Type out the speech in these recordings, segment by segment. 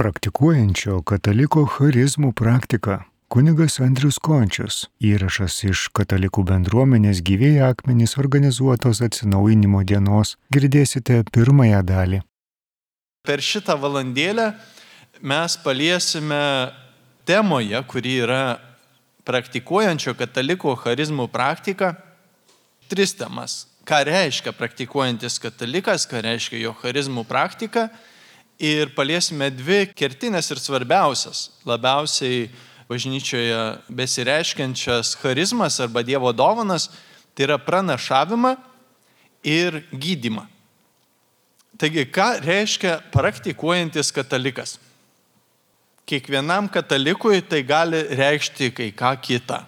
Praktikuojančio kataliko charizmų praktika. Kunigas Andrius Končius. Įrašas iš katalikų bendruomenės Gyvieji akmenys organizuotos atsinaujinimo dienos. Girdėsite pirmąją dalį. Per šitą valandėlę mes paliesime temoje, kuri yra praktikuojančio kataliko charizmų praktika, 3 temas. Ką reiškia praktikuojantis katalikas, ką reiškia jo charizmų praktika. Ir paliesime 2 kertinės ir svarbiausias, labiausiai bažnyčioje besireiškiančias charizmas arba Dievo dovanas, tai yra pranašavimą ir gydymą. Taigi, ką reiškia praktikuojantis katalikas? Kiekvienam katalikui tai gali reikšti kai ką kitą.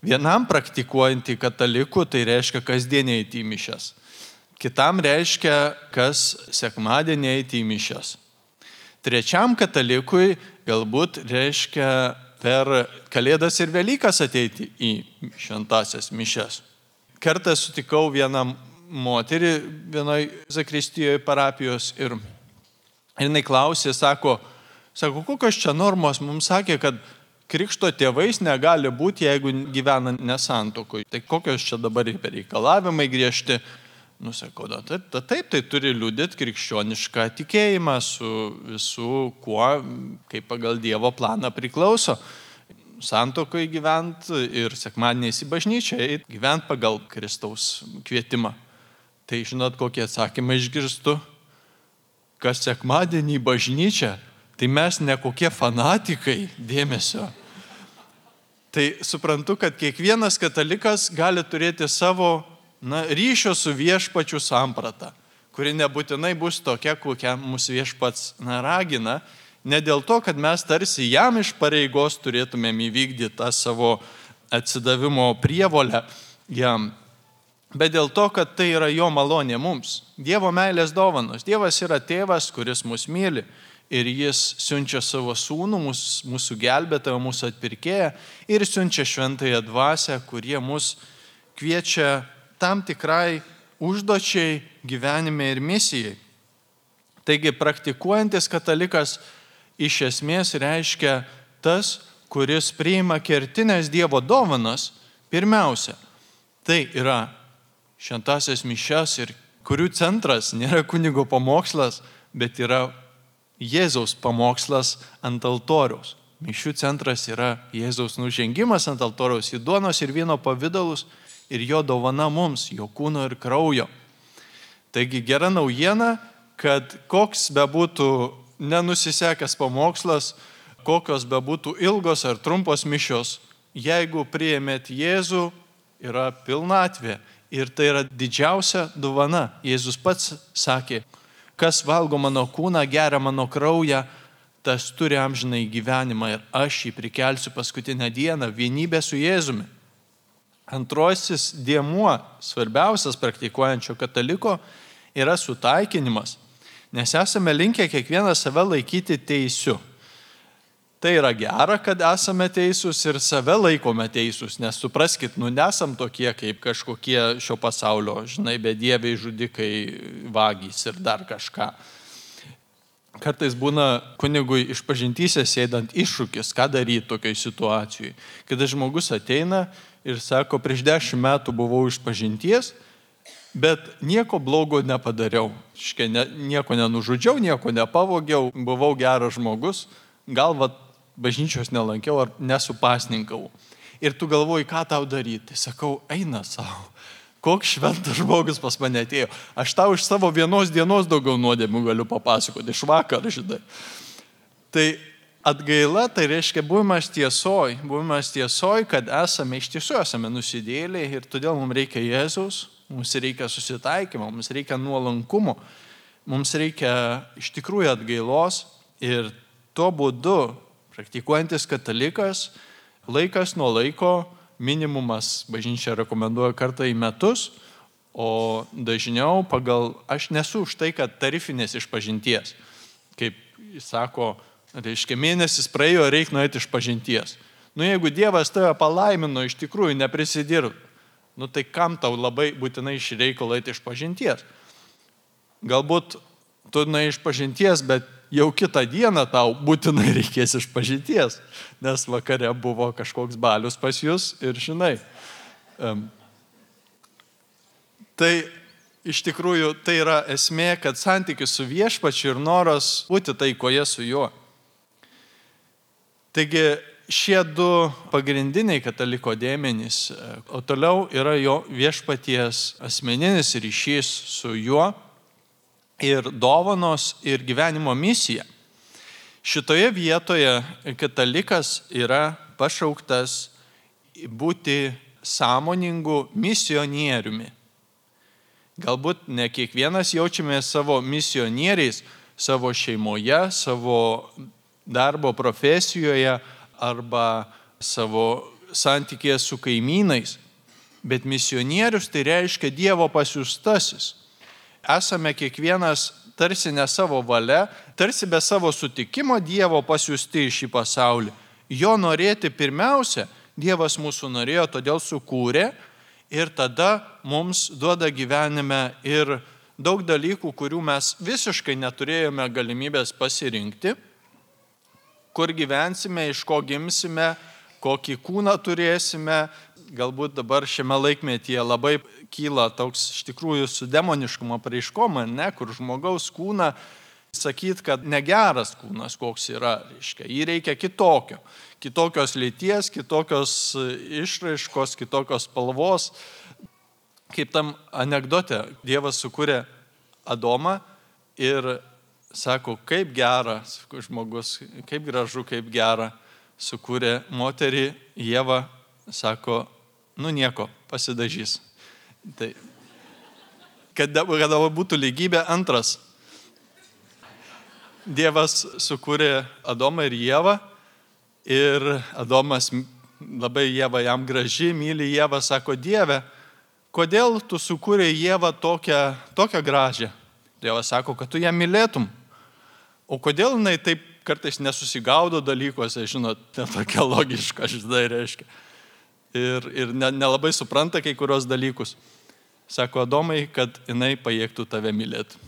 Vienam praktikuojantį katalikų tai reiškia kasdieniai eiti į mišias. Kitam reiškia, kas sekmadienį eiti į mišias. Trečiam katalikui galbūt reiškia per Kalėdas ir Velykas ateiti į šventąsias mišias. Kartą sutikau vieną moterį vienoje zakristijoje parapijos ir jinai klausė, sako, kokios čia normos, mums sakė, kad krikšto tėvais negali būti, jeigu gyvena nesantuokoj. Tai kokios čia dabar reikalavimai griežti? Sakau, taip, tai turi liudyti krikščionišką tikėjimą su visu, kuo, kaip pagal Dievo planą priklauso. Santuokoje gyventi ir sekmadieniais į bažnyčią, gyventi pagal Kristaus kvietimą. Tai žinot, kokie atsakymai išgirstu? Kas sekmadienį į bažnyčią, tai mes ne kokie fanatikai, dėmesio. Tai suprantu, kad kiekvienas katalikas gali turėti savo ryšio su viešpačiu sampratą, kuri nebūtinai bus tokia, kokią mūsų viešpats ragina, ne dėl to, kad mes tarsi jam iš pareigos turėtumėm įvykdyti tą savo atsidavimo prievolę jam, bet dėl to, kad tai yra jo malonė mums, Dievo meilės dovanos. Dievas yra tėvas, kuris mus myli ir jis siunčia savo sūnų, mūsų gelbėtoją, mūsų atpirkėją ir siunčia šventąją dvasią, kurie mus kviečia tam tikrai užduočiai gyvenime ir misijai. Taigi praktikuojantis katalikas iš esmės reiškia tas, kuris priima kertinės Dievo dovanas pirmiausia. Tai yra šventąsias mišias ir kurių centras nėra kunigo pamokslas, bet yra Jėzaus pamokslas ant altoriaus. Mišių centras yra Jėzaus nužengimas ant altoriaus į duonos ir vyno pavidalus ir jo dovana mums, jo kūno ir kraujo. Taigi gera naujiena, kad koks bebūtų nenusisekęs pamokslas, kokios bebūtų ilgos ar trumpos mišios, jeigu priėmėt Jėzų, yra pilnatvė ir tai yra didžiausia dovana. Jėzus pats sakė, kas valgo mano kūną, geria mano kraują, tas turi amžinai gyvenimą ir aš jį prikelsiu paskutinę dieną vienybę su Jėzumi. Antrosis dėmuo, svarbiausias praktikuojančio kataliko, yra sutaikinimas, nes esame linkę kiekvieną save laikyti teisiu. Tai yra gera, kad esame teisūs ir save laikome teisūs, nes supraskit, nesam tokie kaip kažkokie šio pasaulio, bedieviai, žudikai, vagys ir dar kažką. Kartais būna kunigui išpažintyse sėdant iššūkis, ką daryti tokiai situacijai. Kada žmogus ateina ir sako, prieš 10 metų buvau išpažinties, bet nieko blogo nepadariau. Nieko nenužudžiau, nieko nepavogiau, buvau geras žmogus, gal bažnyčios nelankiau ar nesupasninkau. Ir tu galvoji, ką tau daryti. Sakau, eina savo. Koks šventas žmogus pas mane atėjo. Aš tau iš savo vienos dienos daugiau nuodėmių galiu papasakoti, iš vakar, žinai. Tai atgaila, tai reiškia buvimas tiesoj, kad iš tiesų esame nusidėliai ir todėl mums reikia Jėzaus, mums reikia susitaikymo, mums reikia nuolankumo, mums reikia iš tikrųjų atgailos ir tuo būdu praktikuojantis katalikas laikas nuo laiko minimumas bažnyčia rekomenduoja kartą į metus, o dažniau aš nesu už tai, kad tarifinės išpažinties. Kaip sako, reiškia, mėnesis praėjo, reikia nueiti išpažinties. Jeigu Dievas tave palaimino, iš tikrųjų neprisidirb, tai kam tau labai būtinai iš reikalo eiti išpažinties? Galbūt tu nueiti išpažinties, bet jau kitą dieną tau būtinai reikės išpažinties, nes vakare buvo kažkoks balius pas jūs ir žinai. Tai iš tikrųjų tai yra esmė, kad santykis su viešpačiu ir noras būti taikoje su juo. Taigi šie du pagrindiniai kataliko dėmenys, o toliau yra jo viešpaties asmeninis ryšys su juo ir dovanos ir gyvenimo misija. Šitoje vietoje katalikas yra pašauktas būti sąmoningu misionieriumi. Galbūt ne kiekvienas jaučiame savo misionieriais savo šeimoje, savo darbo profesijoje arba savo santykėje su kaimynais, bet misionierius tai reiškia Dievo pasiųstasis. Esame kiekvienas tarsi ne savo valia, tarsi be savo sutikimo Dievo pasiųsti į šį pasaulį. Jo norėti pirmiausia, Dievas mūsų norėjo, todėl sukūrė ir tada mums duoda gyvenime ir daug dalykų, kurių mes visiškai neturėjome galimybės pasirinkti, kur gyvensime, iš ko gimsime, kokį kūną turėsime. Galbūt dabar šiame laikmetyje labai kyla toks iš tikrųjų su demoniškumo apraiškom, ne, kur žmogaus kūną sakyt, kad negeras kūnas koks yra, reiškia, jį reikia kitokio. Kitokios lyties, kitokios išraiškos, kitokios spalvos. Kaip tam anekdote, Dievas sukūrė Adomą ir sako, kaip gera, žmogus, kaip gražu, kaip gera, sukūrė moterį, Ieva, sako, nu nieko, pasidažys. Tai, kad būtų lygybė, antras. Dievas sukūrė Adomą ir Ievą ir Adomas labai Ieva jam graži, myli Ievą, sako, Dieve, kodėl tu sukūrė Ievą tokią gražią? Dievas sako, kad tu ją mylėtum. O kodėl jinai taip kartais nesusigaudo dalykuose, žinot, netokia logiška, žinai, reiškia. Ir nelabai supranta kai kurios dalykus. Sako, Adomai, kad jinai pajėgtų tave mylėti.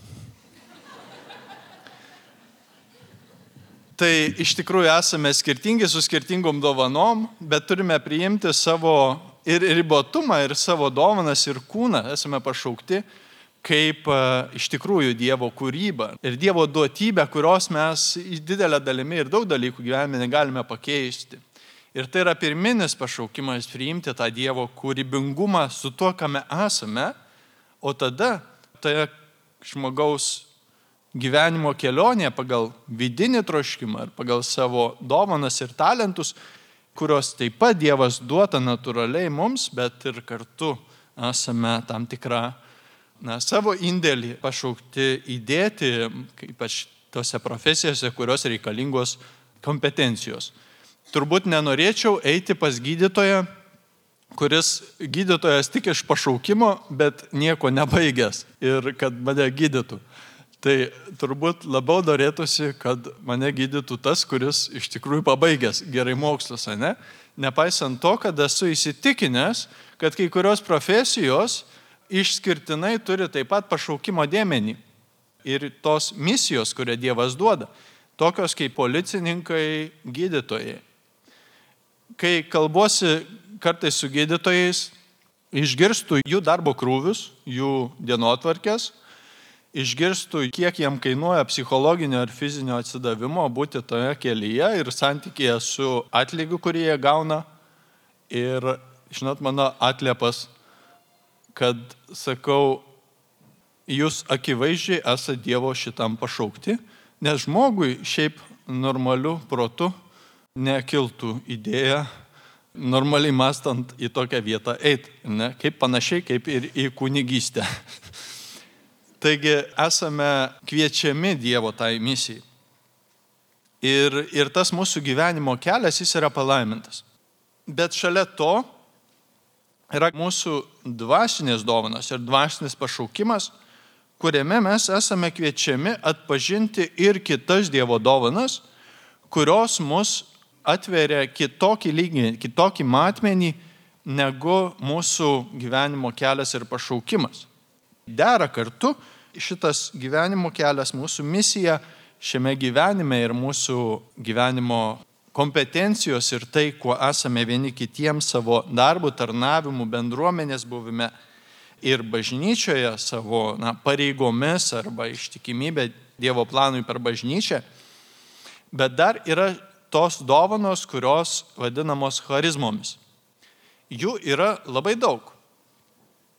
Tai iš tikrųjų esame skirtingi su skirtingom dovanom, bet turime priimti savo ir ribotumą, ir savo dovanas, ir kūną. Esame pašaukti kaip iš tikrųjų Dievo kūryba ir Dievo duotybė, kurios mes didelę dalimi ir daug dalykų gyvenime negalime pakeisti. Ir tai yra pirminis pašaukimas priimti tą Dievo kūrybingumą su tuo, kame esame, o tada tai žmogaus gyvenimo kelionė pagal vidinį troškimą ir pagal savo dovanas ir talentus, kurios taip pat Dievas duota natūraliai mums, bet ir kartu esame tam tikrą savo indėlį pašaukti įdėti, ypač tose profesijose, kurios reikalingos kompetencijos. Turbūt nenorėčiau eiti pas gydytoją, kuris gydytojas tik iš pašaukimo, bet nieko nebaigęs ir kad mane gydytų. Tai turbūt labiau norėtųsi, kad mane gydytų tas, kuris iš tikrųjų pabaigęs gerai mokslus, ne? Nepaisant to, kad esu įsitikinęs, kad kai kurios profesijos išskirtinai turi taip pat pašaukimo dėmenį ir tos misijos, kurią Dievas duoda, tokios kaip policininkai, gydytojai. Kai kalbuosi kartais su gydytojais, išgirstu jų darbo krūvius, jų dienotvarkės, išgirstu, kiek jam kainuoja psichologinio ir fizinio atsidavimo būti toje kelyje ir santykėje su atlygiu, kurį jie gauna. Ir, žinot, mano atliepas, kad sakau, jūs akivaizdžiai esate Dievo šitam pašaukti, nes žmogui šiaip normaliu protu nekiltų idėja normaliai mąstant į tokią vietą eiti, ne? Kaip panašiai kaip ir į kunigystę. Taigi esame kviečiami Dievo tai misijai. Ir tas mūsų gyvenimo kelias, jis yra palaimintas. Bet šalia to yra mūsų dvasinės dovanos ir dvasinis pašaukimas, kuriame mes esame kviečiami atpažinti ir kitas Dievo dovanas, kurios mus atveria kitokį lygį, kitokį matmenį negu mūsų gyvenimo kelias ir pašaukimas. Dera kartu šitas gyvenimo kelias, mūsų misija šiame gyvenime ir mūsų gyvenimo kompetencijos ir tai, kuo esame vieni kitiems savo darbų, tarnavimų, bendruomenės buvime ir bažnyčioje savo pareigomis arba ištikimybė Dievo planui per bažnyčią. Bet dar yra tos dovanos, kurios vadinamos charizmomis. Jų yra labai daug.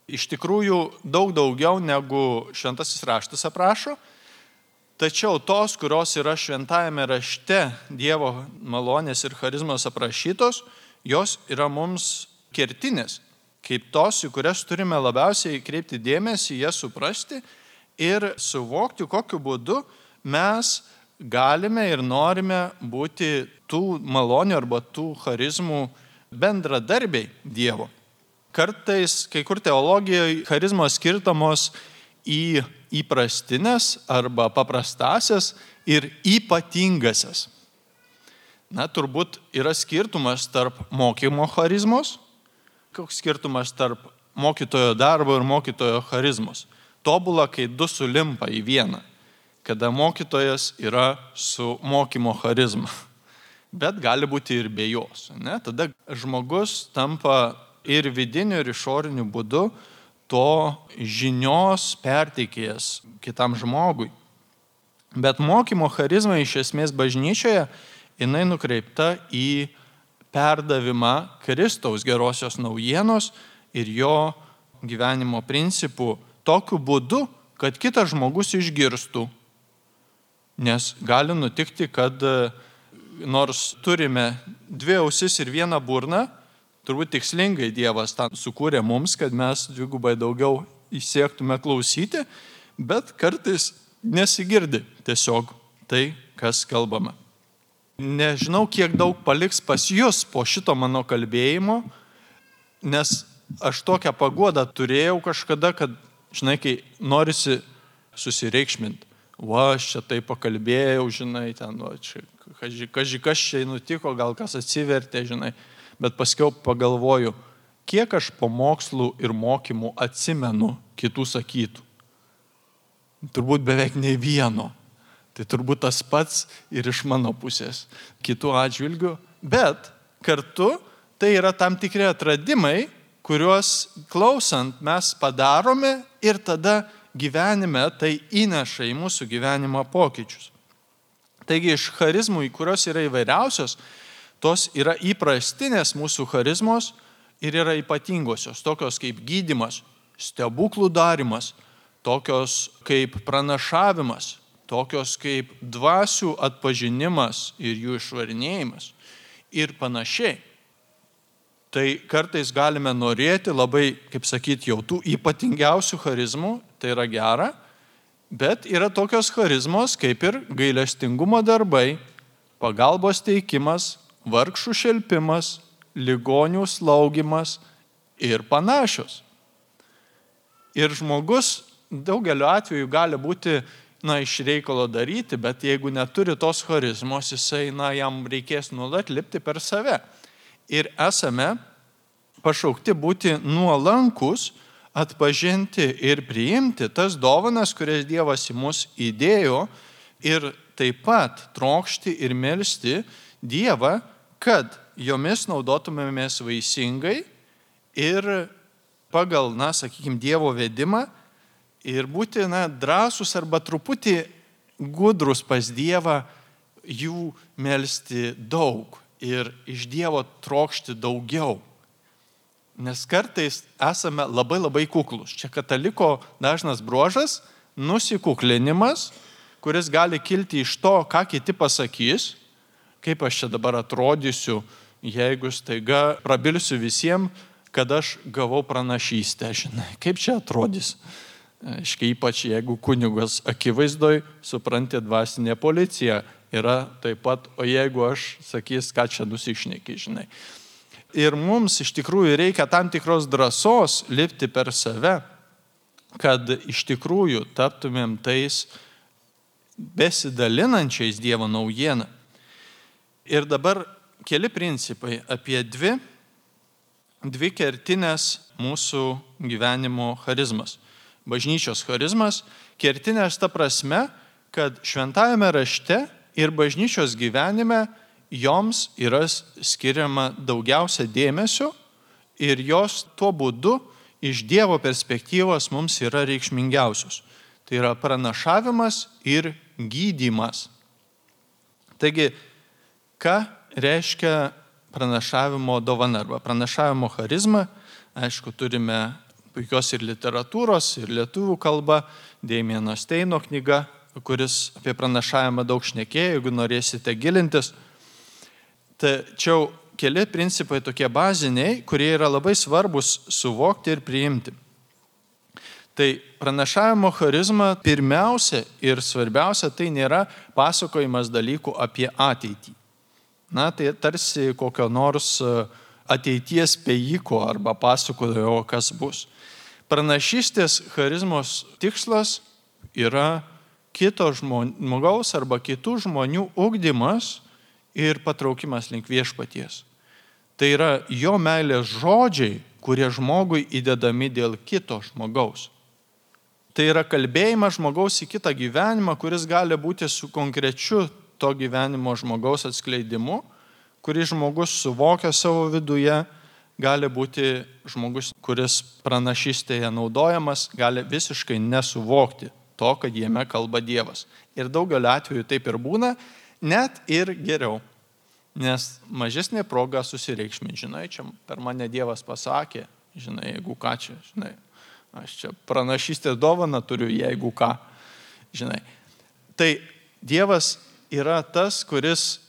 Iš tikrųjų daug daugiau negu Šventasis raštas aprašo. Tačiau tos, kurios yra Šventajame rašte Dievo malonės ir charizmos aprašytos, jos yra mums kertinės, kaip tos, į kurias turime labiausiai kreipti dėmesį, jas suprasti ir suvokti, kokiu būdu mes galime ir norime būti tų malonių arba tų charizmų bendradarbiai Dievo. Kartais, kai kur teologijoje, charizmos skirtamos į įprastinės arba paprastasias ir ypatingasias. Turbūt yra skirtumas tarp mokymo charizmos. Koks skirtumas tarp mokytojo darbo ir mokytojo charizmos? Tobula, kai du sulimpa į vieną, kada mokytojas yra su mokymo charizma. Bet gali būti ir be jos. Tada žmogus tampa ir vidiniu, ir išoriniu būdu to žinios perteikėjas kitam žmogui. Bet mokymo charizma iš esmės bažnyčioje, jinai nukreipta į perdavimą Kristaus gerosios naujienos ir jo gyvenimo principų tokiu būdu, kad kitas žmogus išgirstų. Nes gali nutikti, kad nors turime dvi ausis ir vieną burną, turbūt tikslingai Dievas tą sukūrė mums, kad mes dvigubai daugiau įsiektume klausyti, bet kartais nesigirdi tiesiog tai, kas kalbama. Nežinau, kiek daug paliks pas jūs po šito mano kalbėjimo, nes aš tokią paguodą turėjau kažkada, kad, žinai, kai norisi susireikšminti. Aš čia tai pakalbėjau, žinai, ten, kas čia nutiko, gal kas atsivertė, žinai. Bet paskiau pagalvoju, kiek aš pamokslų ir mokymų atsimenu kitų sakytų. Turbūt beveik nei vieno. Tai turbūt tas pats ir iš mano pusės kitų atžvilgių. Bet kartu tai yra tam tikri atradimai, kuriuos klausant mes padarome ir tada gyvenime tai įneša į mūsų gyvenimą pokyčius. Taigi iš charizmų, kurios yra įvairiausios, tos yra įprastinės mūsų charizmos ir yra ypatingosios, tokios kaip gydymas, stebuklų darimas, tokios kaip pranašavimas, tokios kaip dvasių atpažinimas ir jų išvarinėjimas ir panašiai. Tai kartais galime norėti labai, kaip sakyti, jau tų ypatingiausių charizmų, tai yra gera, bet yra tokios charizmos kaip ir gailestingumo darbai, pagalbos teikimas, vargšų šelpimas, ligonių slaugimas ir panašios. Ir žmogus daugeliu atveju gali būti iš reikalo daryti, bet jeigu neturi tos charizmos, jisai, jam reikės nuolat lipti per save. Ir esame pašaukti būti nuolankus, atpažinti ir priimti tas dovanas, kurias Dievas į mus įdėjo ir taip pat trokšti ir melsti Dievą, kad jomis naudotumėmės vaisingai ir pagal, Dievo vedimą ir būti, drąsus arba truputį gudrus pas Dievą, jų melsti daug ir iš Dievo trokšti daugiau. Nes kartais esame labai kuklus. Čia kataliko dažnas bruožas – nusikuklinimas, kuris gali kilti iš to, ką kiti pasakys, kaip aš čia dabar atrodysiu, jeigu staiga prabilsiu visiems, kad aš gavau pranašystę, žinai, kaip čia atrodys. Ypač jeigu kunigas akivaizdoj, supranti, dvasinė policija yra taip pat, o jeigu aš sakys, ką čia nusišneki, žinai. Ir mums iš tikrųjų reikia tam tikros drąsos lipti per save, kad iš tikrųjų taptumėm tais besidalinančiais Dievo naujieną. Ir dabar keli principai apie dvi kertinės mūsų gyvenimo charizmas. Bažnyčios charizmas, kertinės ta prasme, kad šventajame rašte ir bažnyčios gyvenime joms yra skiriama daugiausia dėmesio ir jos tuo būdu iš Dievo perspektyvos mums yra reikšmingiausios. Tai yra pranašavimas ir gydymas. Taigi, ką reiškia pranašavimo dovana arba pranašavimo charizma? Aišku, turime puikios ir literatūros, ir lietuvių kalba, Damieno Steino knyga, kuris apie pranašavimą daug šnekėjo, jeigu norėsite gilintis. Tačiau keli principai tokie baziniai, kurie yra labai svarbus suvokti ir priimti. Tai pranašavimo charizma pirmiausia ir svarbiausia tai nėra pasakojimas dalykų apie ateitį. Na, tai tarsi kokio nors ateities spėjiko arba pasakojo, kas bus. Pranašystės charizmos tikslas yra kito žmogaus arba kitų žmonių ugdymas ir patraukimas link viešpaties. Tai yra jo meilės žodžiai, kurie žmogui įdedami dėl kito žmogaus. Tai yra kalbėjimas žmogaus į kitą gyvenimą, kuris gali būti su konkrečiu to gyvenimo žmogaus atskleidimu, kurį žmogus suvokia savo viduje, gali būti žmogus, kuris pranašystėje naudojamas, gali visiškai nesuvokti to, kad jame kalba Dievas. Ir daugelio atveju taip ir būna, net ir geriau. Nes mažesnė proga susireikšminti, žinai, čia per mane Dievas pasakė, žinai, jeigu ką čia, žinai, aš čia pranašystės dovaną turiu, jeigu ką, žinai. Tai Dievas yra tas, kuris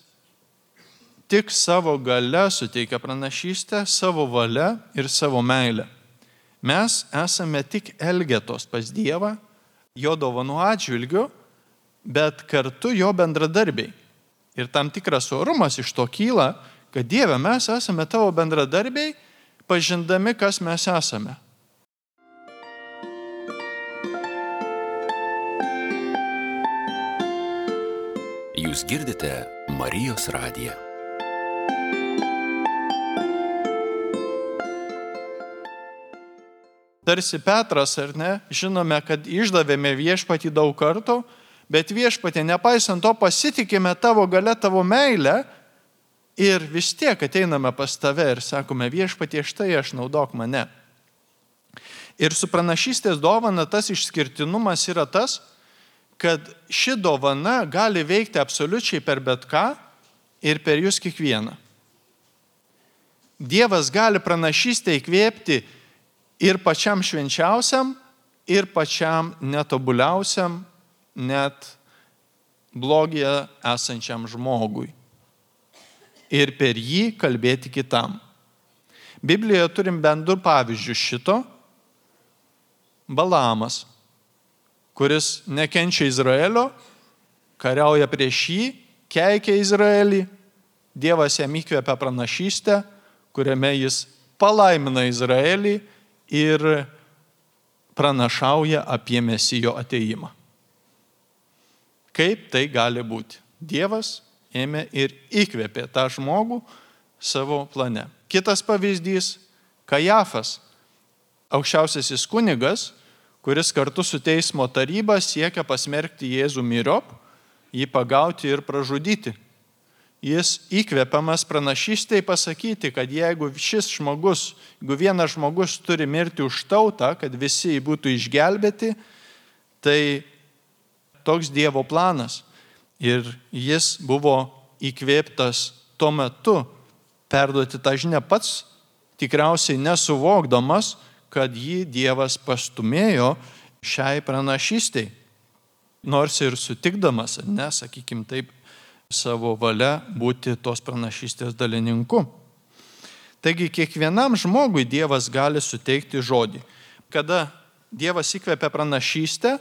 tik savo gale suteikia pranašystę, savo valia ir savo meilę. Mes esame tik elgetos pas Dievą, jo dovanų atžvilgiu, bet kartu jo bendradarbiai. Ir tam tikras orumas iš to kyla, kad Dieve, mes esame tavo bendradarbiai, pažindami, kas mes esame. Jūs girdite Marijos radiją. Tarsi Petras, ar ne, žinome, kad išdavėme viešpatį daug kartų, bet viešpatė, nepaisant to, pasitikime tavo gale, tavo meilę ir vis tiek ateiname pas tave ir sakome, viešpatie, štai aš, naudok mane. Ir su pranašystės dovana tas išskirtinumas yra tas, kad ši dovana gali veikti absoliučiai per bet ką ir per jūs kiekvieną. Dievas gali pranašystę įkvėpti ir pačiam švenčiausiam, ir pačiam netobuliausiam, net blogyje esančiam žmogui. Ir per jį kalbėti kitam. Biblijoje turim bent 2 pavyzdžius šito. Balaamas, kuris nekenčia Izraelio, kariauja prieš jį, keikia Izraelį, Dievas jam įkvėpia pranašystę, kuriame jis palaimina Izraelį ir pranašauja apie Mesijo atėjimą. Kaip tai gali būti? Dievas ėmė ir įkvėpė tą žmogų savo plane. Kitas pavyzdys – Kajafas, aukščiausiasis kunigas, kuris kartu su teismo taryba siekia pasmerkti Jėzų myriop, jį pagauti ir pražudyti. Jis įkvėpiamas pranašystėje pasakyti, kad jeigu vienas žmogus turi mirti už tautą, kad visi būtų išgelbėti, tai toks Dievo planas. Ir jis buvo įkvėptas tuo metu perduoti tą žinią pats, tikriausiai nesuvokdamas, kad jį Dievas pastumėjo šiai pranašystei. Nors ir sutikdamas, sakykim taip, savo valia būti tos pranašystės dalininku. Taigi kiekvienam žmogui Dievas gali suteikti žodį. Kada Dievas įkvepia pranašystę,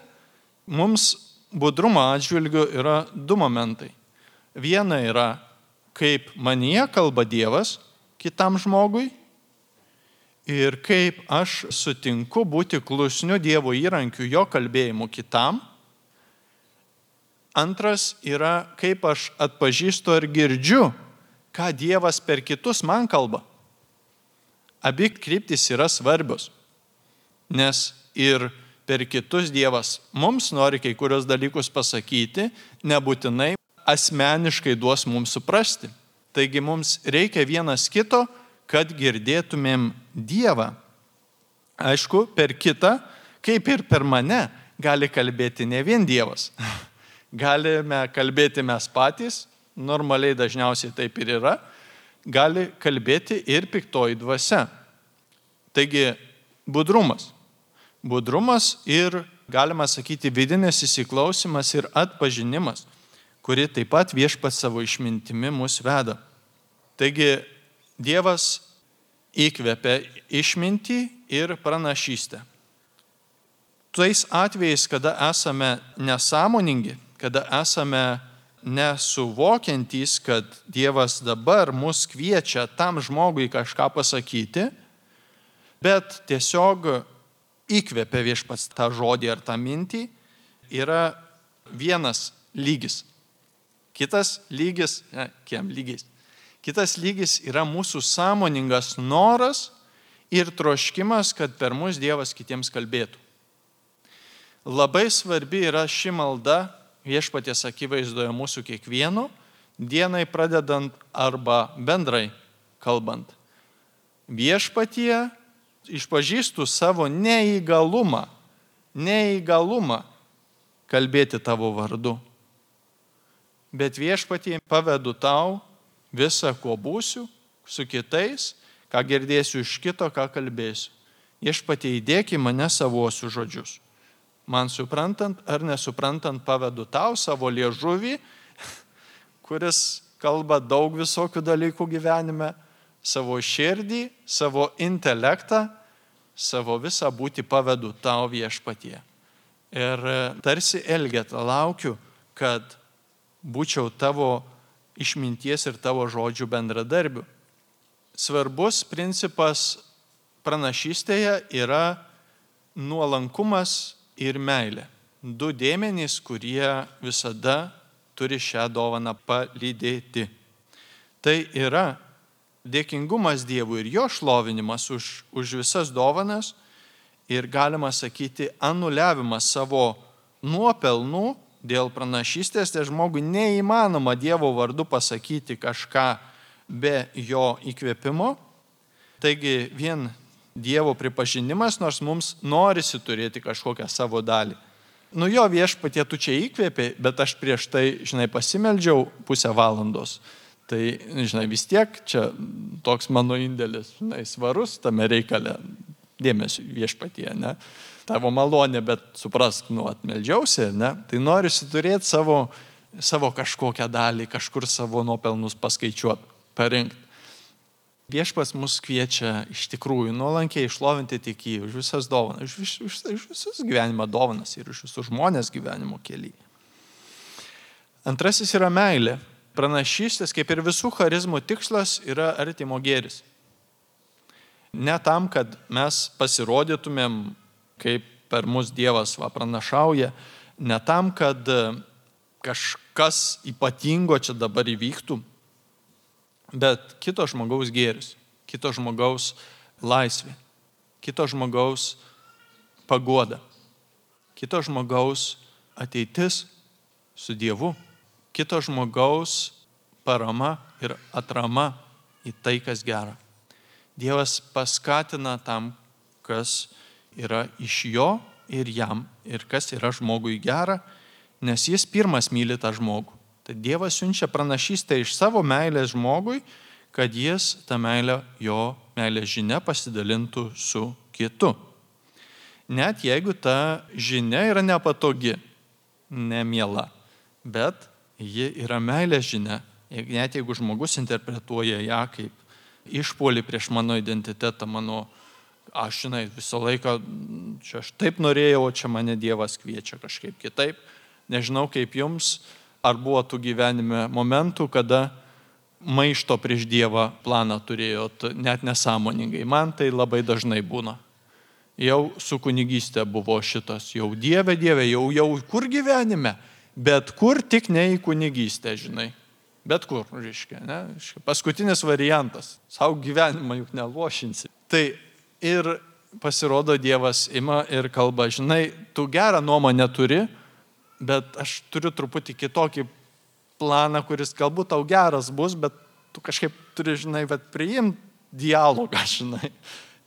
mums budrumo atžvilgiu yra 2 momentai. Viena yra, kaip manyje kalba Dievas kitam žmogui ir kaip aš sutinku būti klusniu Dievo įrankiu jo kalbėjimu kitam. Antras yra, kaip aš atpažįstu ir girdžiu, ką Dievas per kitus man kalba. Abi kryptys yra svarbios, nes ir per kitus Dievas mums nori kai kurios dalykus pasakyti, nebūtinai asmeniškai duos mums suprasti. Taigi mums reikia vienas kito, kad girdėtumėm Dievą. Aišku, per kitą, kaip ir per mane, gali kalbėti ne vien Dievas. Galime kalbėti mes patys, normaliai dažniausiai taip ir yra, gali kalbėti ir piktoji dvasia. Taigi, budrumas. Budrumas ir, galima sakyti, vidinis įsiklausimas ir atpažinimas, kuri taip pat Viešpats savo išmintimi mus veda. Taigi, Dievas įkvepia išmintį ir pranašystę. Tais atvejais, kada esame nesąmoningi, kada esame nesuvokiantys, kad Dievas dabar mus kviečia tam žmogui kažką pasakyti, bet tiesiog įkvepia Viešpats tą žodį ar tą mintį, yra vienas lygis. Kitas lygis, Kitas lygis yra mūsų sąmoningas noras ir troškimas, kad per mus Dievas kitiems kalbėtų. Labai svarbi yra ši malda Viešpaties akivaizdoje mūsų kiekvieno, dienai pradedant arba bendrai kalbant. Viešpatie išpažįstu savo neįgalumą kalbėti tavo vardu. Bet Viešpatie pavedu tau visą, ko būsiu, su kitais, ką girdėsiu iš kito, ką kalbėsiu. Viešpatie įdėk į mane savuosius žodžius. Man suprantant ar nesuprantant pavedu tau savo liežuvį, kuris kalba daug visokių dalykų gyvenime, savo širdį, savo intelektą, savo visą būtį pavedu tau Viešpatie. Ir tarsi Elgeta laukiu, kad būčiau tavo išminties ir tavo žodžių bendradarbių. Svarbus principas pranašystėje yra nuolankumas ir meilė. Du dėmenys, kurie visada turi šią dovaną palydėti. Tai yra dėkingumas Dievui ir jo šlovinimas už visas dovanas ir galima sakyti anuliavimas savo nuopelnų dėl pranašystės, tai žmogui neįmanoma Dievo vardu pasakyti kažką be jo įkvėpimo. Taigi vien Dievo pripažinimas, nors mums norisi turėti kažkokią savo dalį. Jo Viešpatie tu čia įkvėpė, bet aš prieš tai, pasimeldžiau pusę valandos. Tai, vis tiek čia toks mano indėlis, svarus tame reikale. Dėmesio Viešpatie, ne? Tavo malonė, bet suprask, atmeldžiausi, ne? Tai norisi turėti savo kažkokią dalį, kažkur savo nuopelnus paskaičiuoti, parinkti. Viešpats mus kviečia iš tikrųjų nuolankiai išlovinti tik jį už visas dovanas, už visus gyvenimo dovanas ir už visus žmonės gyvenimo kelyje. Antrasis yra meilė. Pranašystės, kaip ir visų charizmų tikslas, yra artimo gėris. Ne tam, kad mes pasirodytumėm, kaip per mus Dievas pranašauja, ne tam, kad kažkas ypatingo čia dabar įvyktų, bet kito žmogaus gėris, kito žmogaus laisvė, kito žmogaus paguoda, kito žmogaus ateitis su Dievu, kito žmogaus parama ir atrama į tai, kas gera. Dievas paskatina tam, kas yra iš jo ir jam, ir kas yra žmogui gera, nes jis pirmas myli tą žmogų. Tai Dievas siunčia pranašystę iš savo meilės žmogui, kad jis tą meilę, jo meilės žinia pasidalintų su kitu. Net jeigu ta žinia yra nepatogi, nemiela, bet ji yra meilės žinia, net jeigu žmogus interpretuoja ją kaip išpuolį prieš mano identitetą, aš visą laiką, čia aš taip norėjau, o čia mane Dievas kviečia kažkaip kitaip. Nežinau kaip jums, ar buvo tų gyvenime momentų, kada maišto prieš Dievą planą turėjot net nesąmoningai. Man tai labai dažnai būna. Jau su kunigystė buvo šitas, jau Dieve, jau kur gyvenime, bet kur tik ne į kunigystę, Bet kur, ne? Paskutinis variantas. Savo gyvenimą juk nelošinsi. Tai ir pasirodo Dievas ima ir kalba, žinai, tu gerą nuomonę turi, bet aš turiu truputį kitokį planą, kuris galbūt tau geras bus, bet tu kažkaip turi, žinai, bet priimti dialogą, žinai.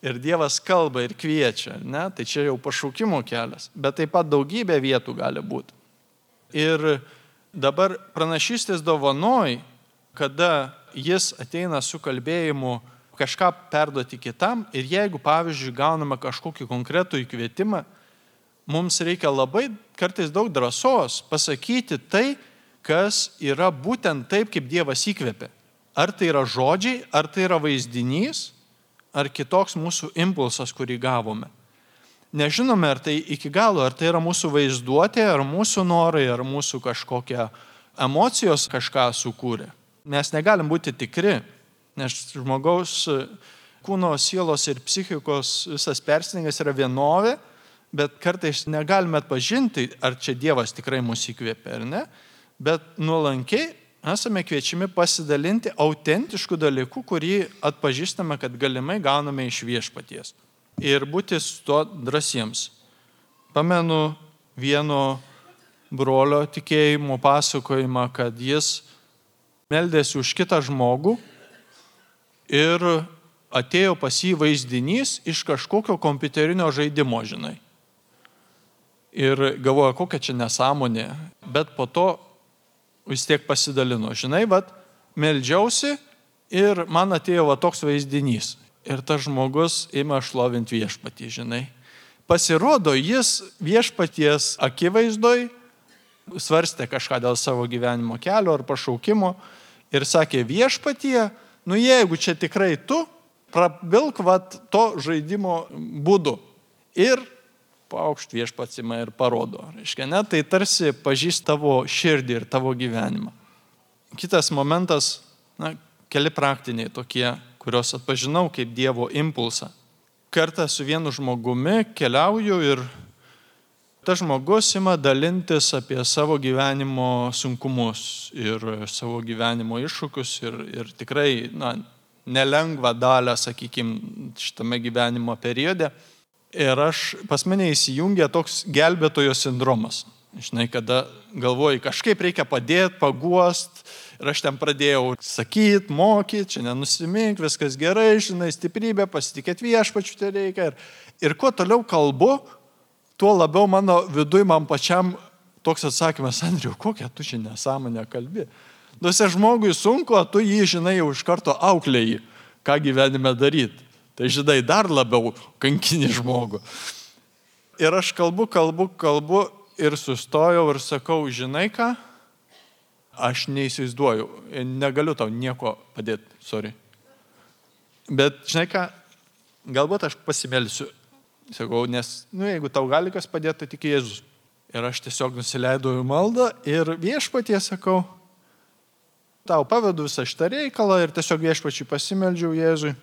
Ir Dievas kalba ir kviečia, ne? Tai čia jau pašaukimo kelias, bet taip pat daugybė vietų gali būti. Ir dabar pranašystės dovanoj, kada jis ateina su kalbėjimu kažką perduoti kitam ir jeigu, pavyzdžiui, gauname kažkokį konkretų įkvietimą, mums reikia labai kartais daug drąsos pasakyti tai, kas yra būtent taip, kaip Dievas įkvėpė. Ar tai yra žodžiai, ar tai yra vaizdinys, ar kitoks mūsų impulsas, kurį gavome. Nežinome, ar tai iki galo, ar tai yra mūsų vaizduotė, ar mūsų norai, ar mūsų kažkokia emocijos kažką sukūrė. Mes negalim būti tikri, nes žmogaus kūno, sielos ir psichikos visas persidengimas yra vienovė, bet kartais negalime atpažinti, ar čia Dievas tikrai mus įkvėpė ar ne, bet nuolankiai esame kviečiami pasidalinti autentiškų dalykų, kurį atpažįstame, kad galimai gauname iš Viešpaties. Ir būti su to drąsiems. Pamenu vieno brolio tikėjimo pasakojimą, kad jis meldėsi už kitą žmogų ir atėjo pas jį vaizdinys iš kažkokio kompiuterinio žaidimo, žinai. Ir galvoja, kokia čia nesąmonė, bet po to vis tiek pasidalino. Žinai, meldžiausi ir man atėjo toks vaizdinys. Ir tas žmogus ima šlovinti Viešpatį, žinai. Pasirodo, jis Viešpaties akivaizdoj svarstė kažką dėl savo gyvenimo kelio ar pašaukimo ir sakė, Viešpatie, jeigu čia tikrai tu, prabilk to žaidimo būdu. Ir paukšt Viešpats ima ir parodo. Reiškia, ne, tai tarsi pažįst tavo širdį ir tavo gyvenimą. Kitas momentas, keli praktiniai tokie, kuriuos atpažinau kaip Dievo impulsą. Kartą su vienu žmogumi keliauju ir tas žmogus ima dalintis apie savo gyvenimo sunkumus ir savo gyvenimo iššūkius ir tikrai nelengvą dalę, sakykime, šitame gyvenimo periode. Ir pas mane įsijungia toks gelbėtojo sindromas. Žinai, kada galvoji, kažkaip reikia padėti, paguost. Ir aš ten pradėjau sakyti, mokyti, čia nenusimink, viskas gerai, žinai, stiprybė, pasitikėti Viešpačiu tai reikia. Ir kuo toliau kalbu, tuo labiau mano viduj man pačiam toks atsakymas, Andriau, kokią tu čia nesąmonę kalbi. Duose žmogui sunku, o tu jį, žinai, jau iš karto auklėjai, ką gyvenime daryti. Tai, žinai, dar labiau kankini žmogų. Ir aš kalbu ir sustojau ir sakau, žinai ką, aš neįsivaizduoju, negaliu tau nieko padėti, sorry. Bet, žinai ką, galbūt aš pasimelsiu. Sakau, nes, jeigu tau gali kas padėti, tai tik Jėzus. Ir aš tiesiog nusileidau į maldą ir Viešpatie sakau, tau pavedu visą šitą reikalą ir tiesiog Viešpačiui pasimeldžiau Jėzui.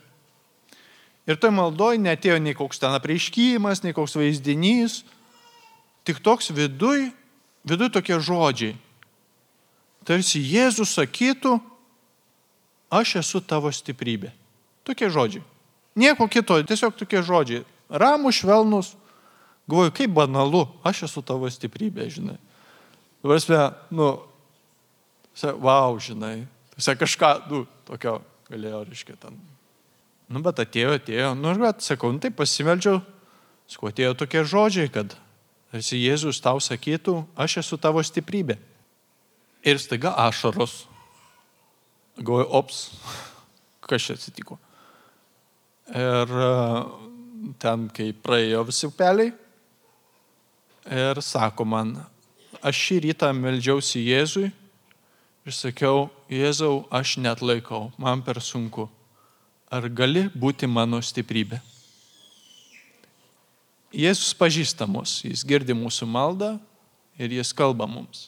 Ir toj maldoj neatėjo nei koks ten apreiškimas, nei koks vaizdinys, tik toks viduj tokie žodžiai. Tarsi Jėzus sakytų, aš esu tavo stiprybė. Tokie žodžiai. Nieko kito, tiesiog tokie žodžiai. Ramų, švelnus. Galvoju, kaip banalu, aš esu tavo stiprybė, žinai. Prasme, wow, žinai. Kažką, tokio galėjo, reiškia, ten. Bet atėjo, bet sakau, tai pasimeldžiau, sakau, atėjo tokie žodžiai, kad tarsi Jėzus tau sakytų, aš esu tavo stiprybė. Ir staiga ašaros. Galvoju, ops, kas čia atsitiko. Ir ten, kai praėjo visi upeliai, ir sako man, aš šį rytą meldžiausi Jėzui ir sakiau, Jėzau, aš net laikau, man per sunku. Ar gali būti mano stiprybė? Jėzus pažįsta mus, jis girdi mūsų maldą ir jis kalba mums.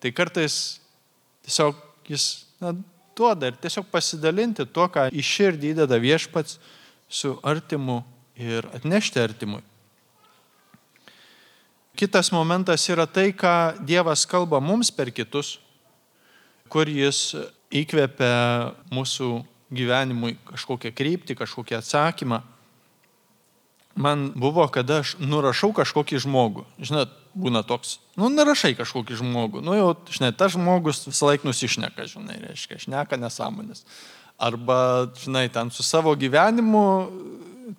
Tai kartais tiesiog jis duoda ir tiesiog pasidalinti tuo, ką į širdį įdeda Viešpats su artimu ir atnešti artimui. Kitas momentas yra tai, ką Dievas kalba mums per kitus, kur jis įkvepia mūsų gyvenimui kažkokią kryptį, kažkokią atsakymą. man buvo, kada aš nurašau kažkokį žmogų. Žinot, būna toks, nurašai kažkokį žmogų. Jau, žinai, tas žmogus visą laiką nusišneka, žinai, reiškia, šneka nesąmonės. Arba, žinai, ten su savo gyvenimu,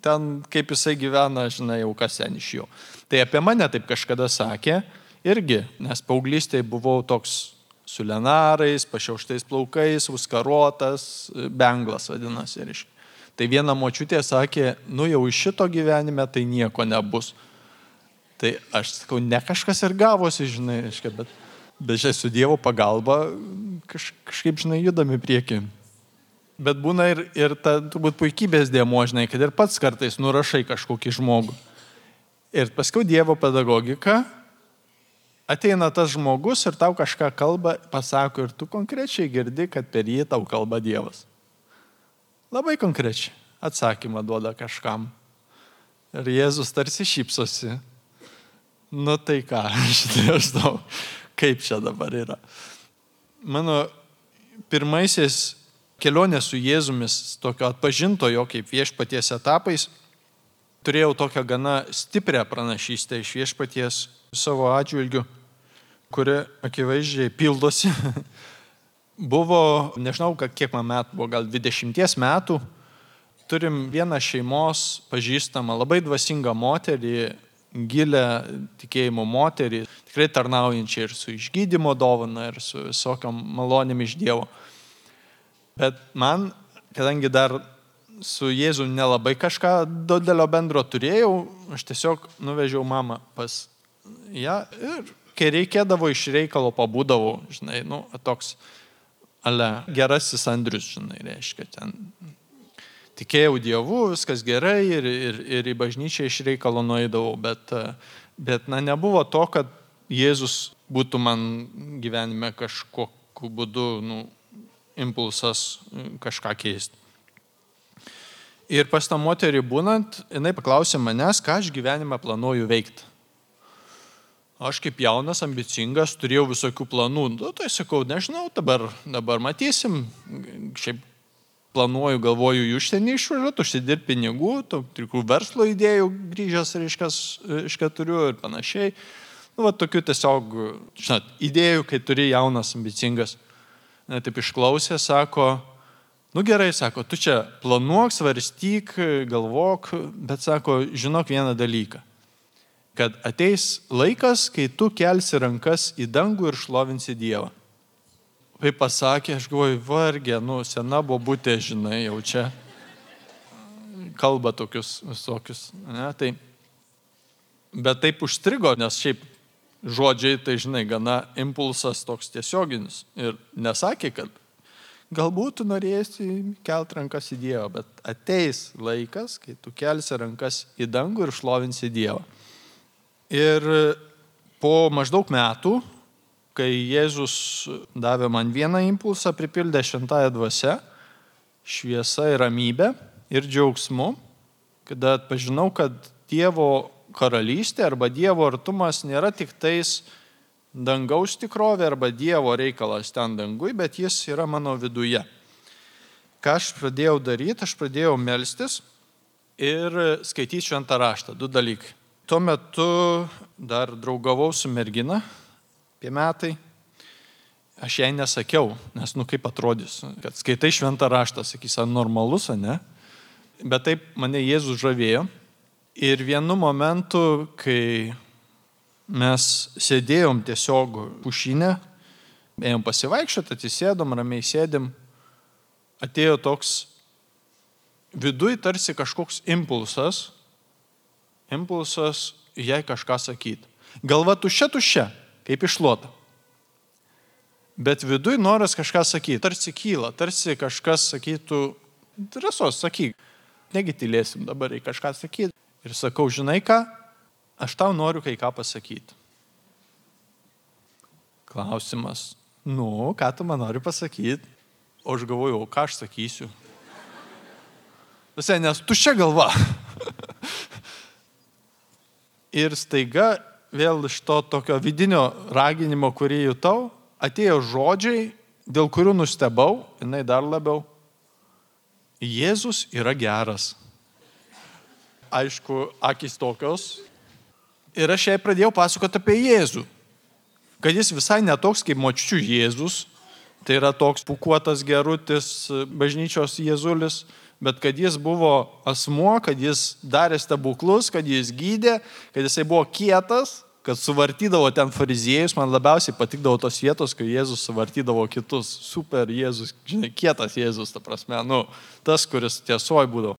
ten kaip jisai gyvena, žinai, jau kas ten iš jo. Tai apie mane taip kažkada sakė irgi, nes paauglystėje buvau toks su lenarais, pašiauštais plaukais, uskaruotas, benglas vadinasi, reiškia. Tai viena močiutė sakė, jau iš šito gyvenime tai nieko nebus. Tai aš sakau, ne kažkas ir gavosi, žinai, reiškia, bet žinai, su Dievo pagalba kažkaip, žinai, judami prieki. Bet būna ir ta turbūt puikybės dėmuo, žinai, kad ir pats kartais nurašai kažkokį žmogų. Ir paskui Dievo pedagogika, ateina tas žmogus ir tau kažką kalba, pasako ir tu konkrečiai girdi, kad per jį tau kalba Dievas. Labai konkrečiai atsakymą duoda kažkam. Ir Jėzus tarsi šypsosi. Tai ką, aš žinau, kaip čia dabar yra. Mano pirmaisiais kelionės su Jėzumis, tokio atpažintojo kaip viešpaties etapais, turėjau tokią gana stiprią pranašystę iš viešpaties savo atžvilgiu, kuri akivaizdžiai pildosi. Buvo, nežinau, kiek man metų, buvo gal 20 metų, turim vieną šeimos pažįstamą, labai dvasingą moterį, gilę tikėjimo moterį, tikrai tarnaujančią ir su išgydymo dovana, ir su visokiam malonėm iš Dievo. Bet man, kadangi dar su Jėzu nelabai kažką didelio bendro turėjau, aš tiesiog nuvežiau mamą pas ją ir kai reikėdavo iš reikalo pabūdavau, žinai, toks gerasis Andrius, žinai, reiškia, ten tikėjau Dievu, viskas gerai ir į bažnyčią iš reikalo nueidavau, bet nebuvo to, kad Jėzus būtų man gyvenime kažkokiu būdu, impulsas kažką keisti. Ir pas tą moterį būnant, jinai paklausė manęs, ką aš gyvenime planuoju veikti. Aš kaip jaunas, ambicingas, turėjau visokių planų. Tai sakau, nežinau, dabar matysim. Šiaip planuoju, galvoju, į užsienį išvažiuoti, užsidirbti pinigų, tokių verslo idėjų grįžęs, reiškia, turiu ir panašiai. Tokių tiesiog, žinot, idėjų, kai turi jaunas, ambicingas. Taip išklausė, sako, gerai, sako, tu čia planuok, svarstyk, galvok, bet sako, žinok vieną dalyką. Kad ateis laikas, kai tu kelsi rankas į dangų ir šlovinsi Dievą. Kaip pasakė, aš galvoju, vargė, sena bobutė, žinai, jau čia kalba tokius visokius. Ne, bet taip užstrigo, nes šiaip žodžiai, tai žinai, gana impulsas toks tiesioginis. Ir nesakė, kad galbūt tu norėsi kelt rankas į Dievą, bet ateis laikas, kai tu kelsi rankas į dangų ir šlovinsi Dievą. Ir po maždaug metų, kai Jėzus davė man vieną impulsą, pripildė šventąją dvasią, šviesa ir ramybė ir džiaugsmu, kada atpažinau, kad Dievo karalystė arba Dievo artumas nėra tik tais dangaus tikrovė arba Dievo reikalas ten dangui, bet jis yra mano viduje. Ką aš pradėjau daryti? Aš pradėjau melstis ir skaityti šventą raštą. 2 dalykai. Tuo metu dar draugavau su mergina, apie metai. Aš jai nesakiau, nes kaip atrodys, kad skaitai šventą raštą, sakys, normalus, ne? Bet taip mane Jėzus žavėjo. Ir vienu momentu, kai mes sėdėjom tiesiog pušinę, ėjom pasivaikščioti, atsisėdom, ramiai sėdėm, atėjo toks viduj tarsi kažkoks impulsas jai kažką sakyti. Galva tuščia, kaip išlota. Bet viduj noras kažką sakyti, tarsi kyla, tarsi kažkas sakytų, drąsos sakyk, negi tylėsim dabar į kažką sakyti. Ir sakau, žinai ką, aš tau noriu kai ką pasakyti. Klausimas, ką tu man nori pasakyti? O aš galvoju, ką aš sakysiu? Visai, nes tuščia galva. Ir staiga vėl iš to tokio vidinio raginimo, kurį jutau, atėjo žodžiai, dėl kurių nustebau, jinai dar labiau. Jėzus yra geras. aišku, akys tokios. Ir aš jai pradėjau pasakoti apie Jėzų. Kad jis visai netoks kaip močiučių Jėzus, tai yra toks pūkuotas gerutis bažnyčios Jėzulis, bet kad jis buvo asmuo, kad jis darė stebuklus, kad jis gydė, kad jisai buvo kietas, kad suvartydavo ten fariziejus. Man labiausiai patikdavo tos vietos, kai Jėzus suvartydavo kitus. Super Jėzus, žinai, kietas Jėzus, ta prasme, tas, kuris tiesoj būdavo.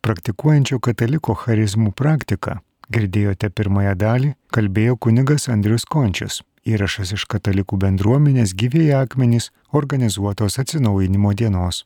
Praktikuojančio kataliko charizmų praktiką, girdėjote pirmąją dalį, kalbėjo kunigas Andrius Končius. Įrašas iš katalikų bendruomenės Gyvieji akmenys organizuotos atsinaujinimo dienos.